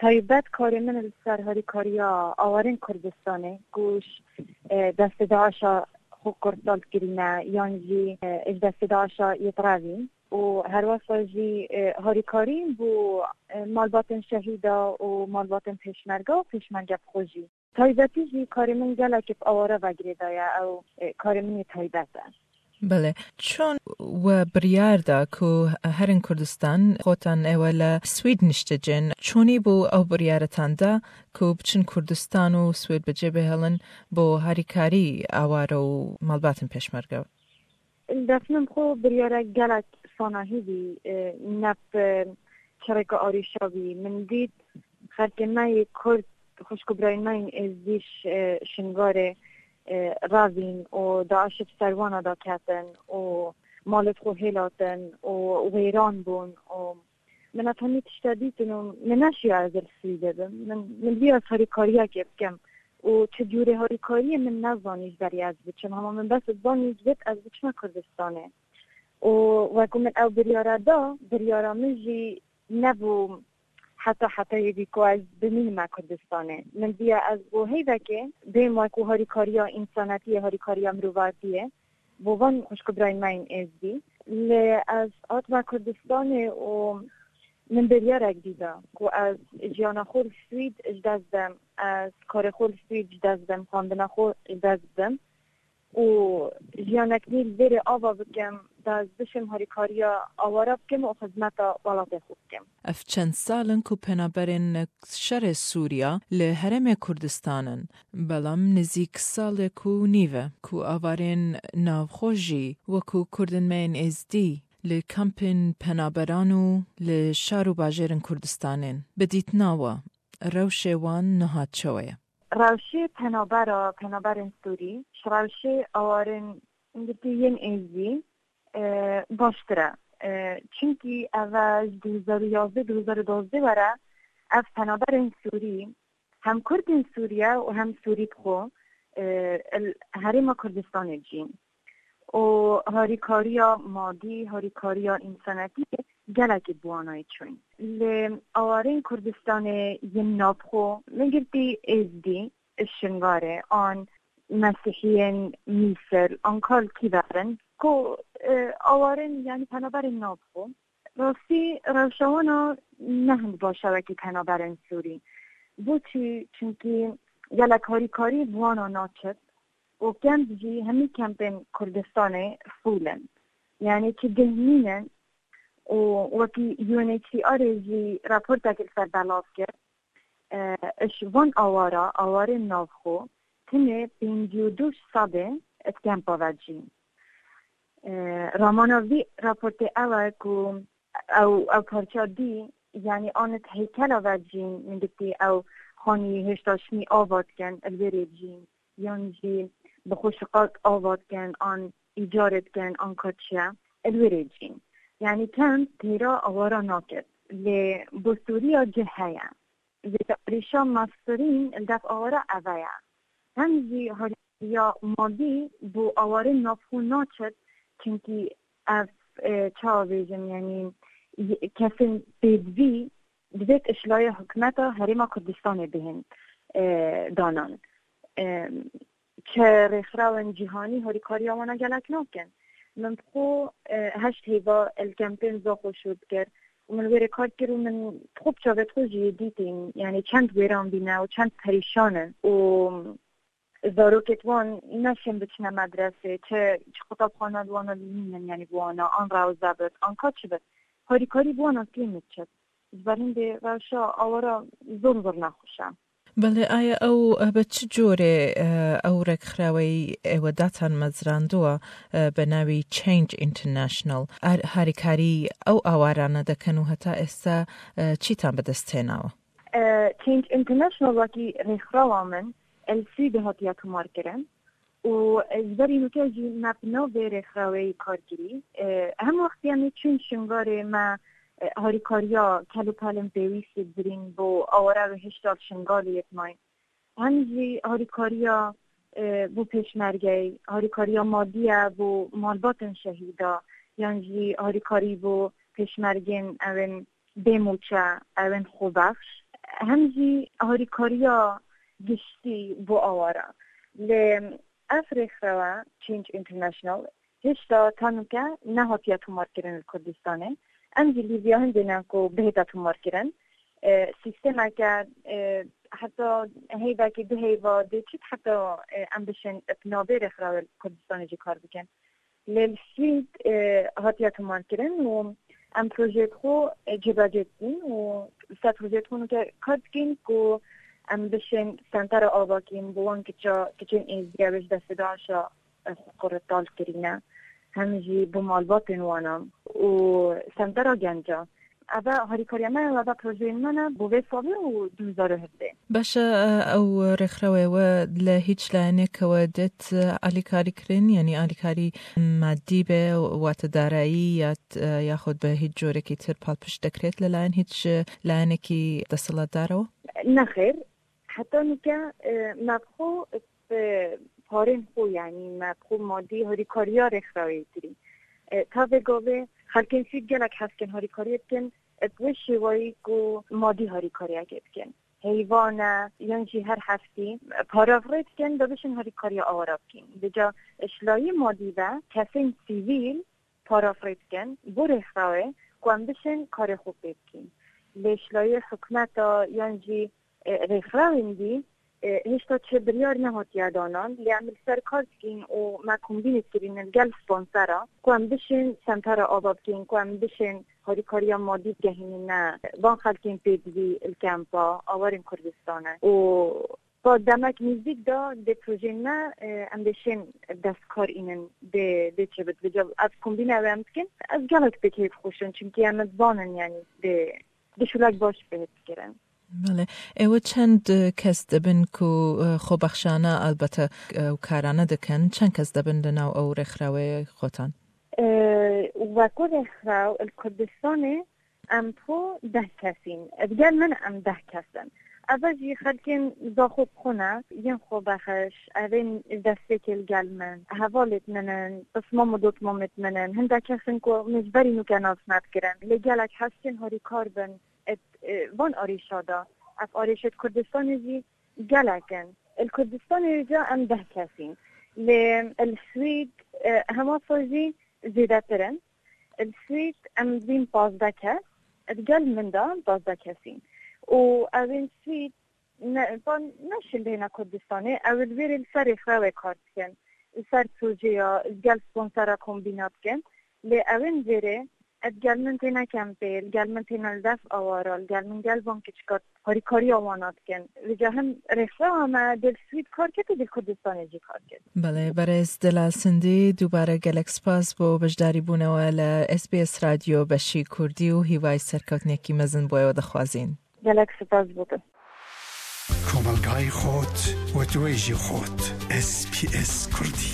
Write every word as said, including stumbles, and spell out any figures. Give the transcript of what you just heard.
Taybet karê min li ser harîkariya awarên Kurdistanê, ku ji, e, destê DAIŞa xwe kurtal kirîne, yan jî, e, ji destê DAIŞa yê direvîn û herwesa jî, e, harîkarî bo, e, malbatên şehîda û malbatên pêşmerge û pêşmerge bi xwe jî. Taybetî jî karê min gelekî bi awara ve girêdaye, ew, e, karê min yê taybet e. Belê. Çon we biryar da ku herin Kurdistan xotan ewe le Swîd niştecin? Çonî bû ew biryaretan da ku biçin Kurdistan û Swîd bi cê bihêlin bo harîkarî aware û malbatên pêşmerge? Li dest min xwe biryare gelek sanahî bî, e, ne bi çireka arîşa bî. Min dît xelkê me yê Kurd, xwişk û birayên me yên Êzdî ş-, e, Şingarê, e, revîn û DAIŞ bi ser wana de ketin û malê xwe hêlatin û wêran bûn û min ev hemî tişte dîtin û min neşiya ez li Swîdê bim. Min, min diya ez harîkariyekê bikim û çi cûrê harîkariyê min nezanî ji berî ez biçim. Hema min bes zanî ji bêt ez biçime Kurdistanê. Û wekû min ew biryara da, biryara min jî nebû heta hetayê bî ku ez bimînime Kurdistanê. Min diya ez bo heyvekê bêm wekû harîkariya însanetiyê, harîkariya mirovatiyê bo van xwişk û birayên me yên Êzdî. Lê ez hatime Kurdistanê û min biryarek dî da ku ez jiyana xwe li Swîd ji dest bim, ez karê xwe li Swîd ji dest bim, xwendina xwe ji dest bim û jiyanek nî li vêrê ava bikim, da ez bişim harîkariya awara bikim û xizmeta welatê xwe bikim. Ev çend sal in ku penaberên şerê Sûriya li Herêmê Kurdistan in, belam nizîk salek û nîv e ku awarên navxwe jî wekû Kurdên me yên Êzdî li kampên penaberan û li şar û bajêrên Kurdistanê in. Bi dîtina we, rewşê wan niha çawa ye? Rewşê penabera, penaberên Sûrî, ji rewşê awarên girtî yên Êzdî, e, baştir e. E, çimkî ev e ji du hezar û yazdeh, du hezar û dozdeh were, ev penaberên Sûrî, hem Kurdên Sûriye û hem Sûrî bi xwe, e, li Herêma Kurdistanê dijîn. Û harîkariya madî, harîkariya însanetî gelekî bi wana yê çûyîn. Li awarên Kurdistanê yên navxwe, min girtî Êzdî, Şingarê, an Mesîhiyên Mîsir, an kal kî verin, ku, e, awarên, yanî penaberên navxwe. Rastî rewşa wana ne hind baş e wekî penaberên Sûrî. Bo çi? Çimkî gelek harîkarî bi wana naçit û kemp jî hemî kempên Kurdistanê fûl in. Yanî çi geh nînin û wekî U N H C R ê jî raportekê li ser belav kir, e, ji van awara, awarên navxwe, tenê pêncî û du sedê di kempa ve dijîn. E, ramana vî raportê ew e ku ew, ew parça dî, yanî an di heykela ve dijîn, min gotî ew xanî hêşta şinî ava dikin, li wê rê dijîn, yan jî bi xwe şiqaq ava dikin, an îcarê dikin, an ka çi ye, li wê rê dijîn. Yanî kemp têra awara naket. Lê bo Sûriya cih heye. Vê arîşa mestirîn li def awara eve ye. Hem jî harîkariya madî bo awarên navxwe naçet, çimkî ev, e, çawa bêjim, yanî y-, kesên pêdivî divêt ji layê hikûmeta Herêma Kurdistanê bihên, e, danan. E, çi rêxrawên cîhanî harîkariya wana gelek nakin. Min bi xwe, e, heşt heyva li kempên Zaxo şûr dikir û min wê rê kar kir û min bi xwe bi çavê xwe jî dîtîn, yanî çend wêran bîne û çend perîşan in û zarokêt wan neşên biçine medresê, çi, çi qutabxana li wana nînin, yanî bi wana an rewze bit, an ka çi bit. Harîkarî bi wana kêm diçit. Ji ber hindê rewşa awara zor zor nexweş e. Belê, aya ew, eh, bi çi corê, eh, ew rêkxraweyî êwe datan mezrandiwa, eh, bi navî Change International? Ar-, harîkarî ew awarane dikin û heta êsta, eh, çîtan bi dest tênawe? Eh, Change International wekî rêkxrawa min, li Swîdê hatiye tomarkirin. Û, e, ji berî nûke jî me bi nav vê rêxraweyî kar kirî. E, hem wextî em ê çûn Şingalê me, e, harîkariya kel û pelên pêwîstî birîn bo awara wê hişta li Şingalê yê dimayîn. Hem jî harîkariya, e, bo pêşmergeyê, harîkariya madî ye bo malbatên şehîda, yan jî harîkarî bo pêşmergên ewên bê mûçe, ewên xwebexş. hem jî harîkariya giştî bo awara. Lê ev rêxrewa Change International hêşta ta nûke nehatiye tomarkirin li Kurdistanê. Em jî li vîya hindê ne ku bihête tomarkirin. E, sîstemeke, e, heta heyvekî du heyva dê çit heta, e, em bişên bi navê rêxrawê li Kurdistanê jî kar bikin. Lê li Swîd, e, hatiye tomarkirin û em projeyê xwe, e, cêbecê dikin û ser projeyê xwe nûke kar dikin ku em bişên sentera ava kîn bo wan kiça, kiçên êzdiya wê ji destê DAIŞa, e, xwe qurtal kirîne, hem jî bo malbatên wana û sentera genca. Eve harîkariya me ye, eve projeyên me ne bo vê salê û du hezar û hevdeh. Baş e, ew rêxrawê we li hîç layeneke we dêt, e, alîkarî kirin, yanî alîkarî madî be, wate darayî ya, e, yaxud bi hîç corekî tir palpişt dekrêt li layen hîç, e, layenekî desthilatdar e? Nexêr, heta nûke, e, me bi xwe, e, parên xwe, yanî me bi xwe madî harîkariya rêxrawê kirî. E, ta vê gavê xelkên Swîd gelek hez dikin harîkariyê bikin, e, bi wê şêwayî ku madî harîkariyekê bikin. Heyvan e, yan jî her heftî, e, para rê dikin, da bişên harîkariya awara bikin. Vêca ji layê madî ve kesên sivîl para rê dikin bo rêxrawê ku em bişên karê xwe pê bikîn. Lê ji layê hikûmeta yan jî, e, rêxrawên dî, e, hêşta çi biryar nehatiye danan. Lê em li ser kar dikîn û me kombînê kirîne li gel sponsera ku em bişên sentera ava bikîn, ku em bişên harîkariya madî bigehînîne van xelkên pêdivî li kempa awarên Kurdistanê. Û pa demek nêzdîk de dê projeyên me, e, em dê şên dest kar înin dê, dê çi bit. Vêca ev kombîne ew em dikin, ez gelek pê keyf xweş im, çimkî em dizanin, yanî dê, dê şûlek baş pê dikirin. Belê. Ê we çend, e, kes dibin ku, e, xwebexşane, elbete, e, ew karane dikin? Çend kes dibin li nav ew rêxrawê xotan? E, weko rêxraw li Kurdistanê em xwe deh kes in. Digel min em deh kes in. Eve jî xelkên zaxo bi xwe ne, yên xwebexş, evên destpêkê li gel min, hevalêt min in, pismam û dotmamêt min in. Hindek kes in ku min ji berî nûke nas nedikirin. Lê gelek hestin harîkar bin. Ê, e, van arêşa de. Ev arêşêt Kurdistanê jî gelek in. Li Kurdistanê ca em deh kes in. Lê li Swîd, e, hema sal jî zêdetir in. Li Swîd em dibîn pazdeh kes. Digel min de pazdeh kes in. Û ew ên Swîd ne, van neşin bihêne Kurdistanê. Ew li vêrê li ser rêxrawê kar dikin. Li ser projeya, li gel sponsera kombîna dikin. Lê ew ên vêrê, e, digel min têne kempê, digel min têne li def awara, digel min gel van kiçika harîkariya wana dikin. Vêca him rêxrewa me dê li Swîd kar kir, dê li Kurdistanê jî kar kir. Belê, berêz Delal Sindî, dubare gelek spas bo beşdarîbûnewe li S B S Radyo beşî Kurdî û hîvayî serkewtinekî mezin bo ewe dixwazîn. Gelek spas bo te. Komelgayê xot, wetwêjî xot. S B S Kurdî.